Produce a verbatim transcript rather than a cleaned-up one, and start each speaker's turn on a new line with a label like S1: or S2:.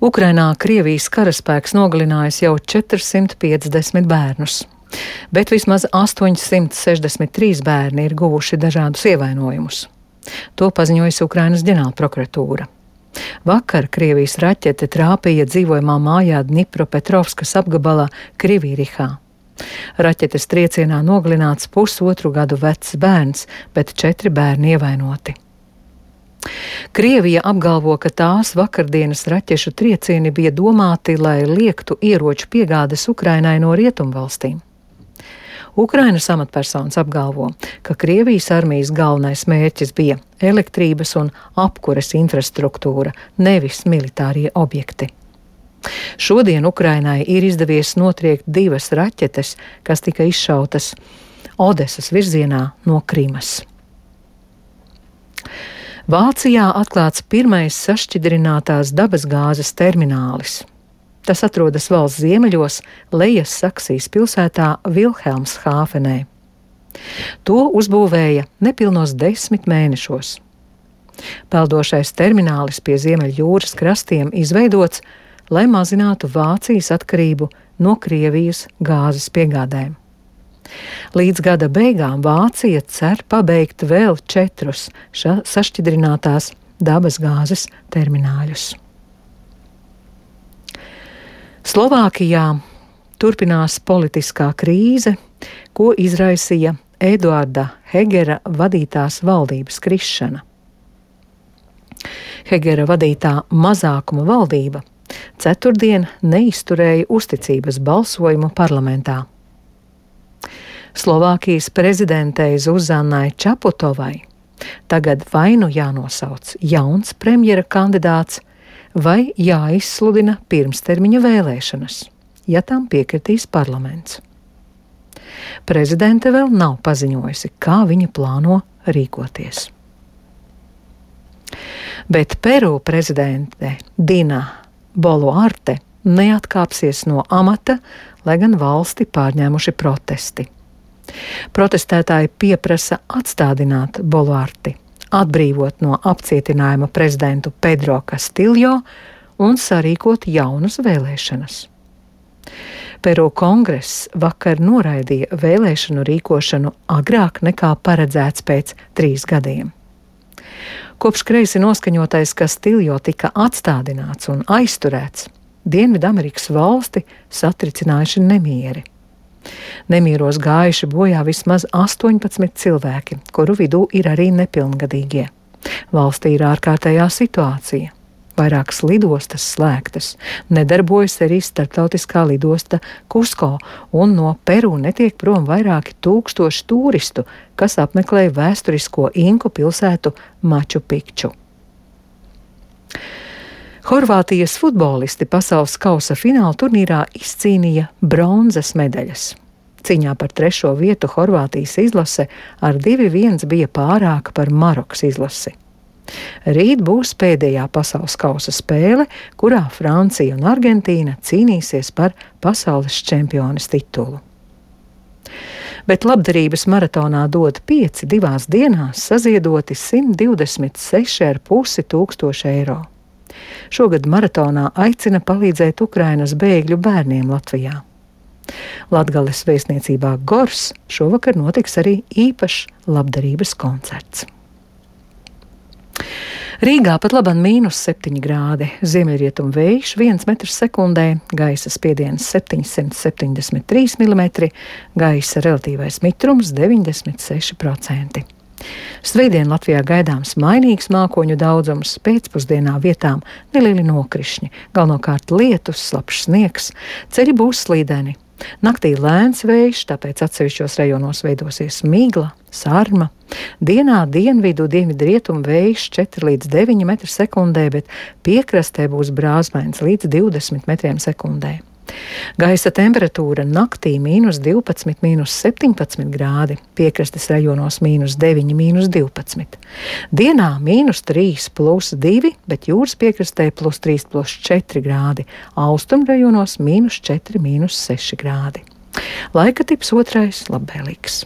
S1: Ukrainā Krievijas karaspēks nogalinājis jau četrsimt piecdesmit bērnus, bet vismaz astoņsimt sešdesmit trīs bērni ir guvuši dažādus ievainojumus. To paziņojusi Ukrainas ģenerālprokuratūra. Vakar Krievijas raķete trāpīja dzīvojamā mājā Dņipropetrovskas apgabalā Krivīrihā. Raķetes triecienā nogalināts pusotru gadu vecs bērns, bet četri bērni ievainoti. Krievija apgalvo, ka tās vakardienas raķešu triecieni bija domāti, lai liektu ieroču piegādes Ukrainai no rietumvalstīm. Ukrainas amatpersonas apgalvo, ka Krievijas armijas galvenais mērķis bija elektrības un apkures infrastruktūra, nevis militārie objekti. Šodien Ukrainai ir izdevies notriekt divas raķetes, kas tika izšautas Odesas virzienā no Krimas. Vācijā atklāts pirmais sašķidrinātās dabasgāzes terminālis. Tas atrodas valsts ziemeļos, Lejas Saksijas pilsētā Vilhelmshāfenē. To uzbūvēja nepilnos desmit mēnešos. Peldošais terminālis pie Ziemeļjūras krastiem izveidots, lai mazinātu Vācijas atkarību no Krievijas gāzes piegādēm. Līdz gada beigām Vācija cer pabeigt vēl četrus sašķidrinātās dabasgāzes termināļus. Slovākijā turpinās politiskā krīze, ko izraisīja Eduarda Hegera vadītās valdības krišana. Hegera vadītā mazākuma valdība ceturtdien neizturēja uzticības balsojumu parlamentā. Slovākijas prezidentei Zuzanai Čaputovai tagad vai nu jānosauc jauns premjera kandidāts, vai jāizsludina pirmstermiņa vēlēšanas, ja tam piekritīs parlaments. Prezidente vēl nav paziņojusi, kā viņa plāno rīkoties. Bet Peru prezidente Dina Boluarte neatkāpsies no amata, lai gan valsti pārņēmuši protesti. Protestētāji pieprasa atstādināt Boluarti, atbrīvot no apcietinājuma prezidentu Pedro Castillo un sarīkot jaunas vēlēšanas. Peru kongress vakar noraidīja vēlēšanu rīkošanu agrāk nekā paredzēts pēc trīs gadiem. Kopš kreisi noskaņotais Castillo tika atstādināts un aizturēts, Dienvidamerikas valsti satricinājuši nemieri. Nemieros gājuši bojā vismaz astoņpadsmit cilvēki, kuru vidū ir arī nepilngadīgie. Valstī ir ārkārtējā situācija. Vairākas lidostas slēgtas, nedarbojas arī starptautiskā lidosta Kusko, un no Peru netiek prom vairāki tūkstoši turistu, kas apmeklēja vēsturisko inku pilsētu Maču Pikču. Horvātijas futbolisti pasaules kausa fināla turnīrā izcīnīja bronzas medaļas. Cīņā par trešo vietu Horvātijas izlase ar divi viens bija pārāka par Marokas izlasi. Rīt būs pēdējā pasaules kausa spēle, kurā Francija un Argentīna cīnīsies par pasaules čempiones titulu. Bet labdarības maratonā dod pieci divās dienās saziedoti simt divdesmit seši ar pusi tūkstoši eiro. Šogad maratonā aicina palīdzēt Ukrainas bēgļu bērniem Latvijā. Latgales vēstniecībā Gors šovakar notiks arī īpašs labdarības koncerts. Rīgā pat labam mīnus septiņi grādi, ziemeļrietumu vējš viens metrs sekundē, gaisa spiediens septiņsimt septiņdesmit trīs milimetri, gaisa relatīvais mitrums deviņdesmit seši procenti. Svētdien Latvijā gaidāms mainīgs mākoņu daudzums, pēcpusdienā vietām nelieli nokrišņi, galvenokārt lietus, slapjš sniegs, ceļi būs slīdeni. Naktī lēns vējš, tāpēc atsevišķos rajonos veidosies migla, sarma. Dienā dienvidu dienvidrietumu vējš četri līdz deviņi metri sekundē, bet piekrastē būs brāzmains līdz divdesmit metriem sekundē. Gaisa temperatūra naktī mīnus divpadsmit, mīnus septiņpadsmit grādi, piekrastes rajonos mīnus deviņi, mīnus divpadsmit. Dienā mīnus trīs plus divi, bet jūras piekrastē plus trīs plus četri grādi, austrumu rajonos mīnus četri, mīnus seši grādi. Laika tips otrais labvēlīgs.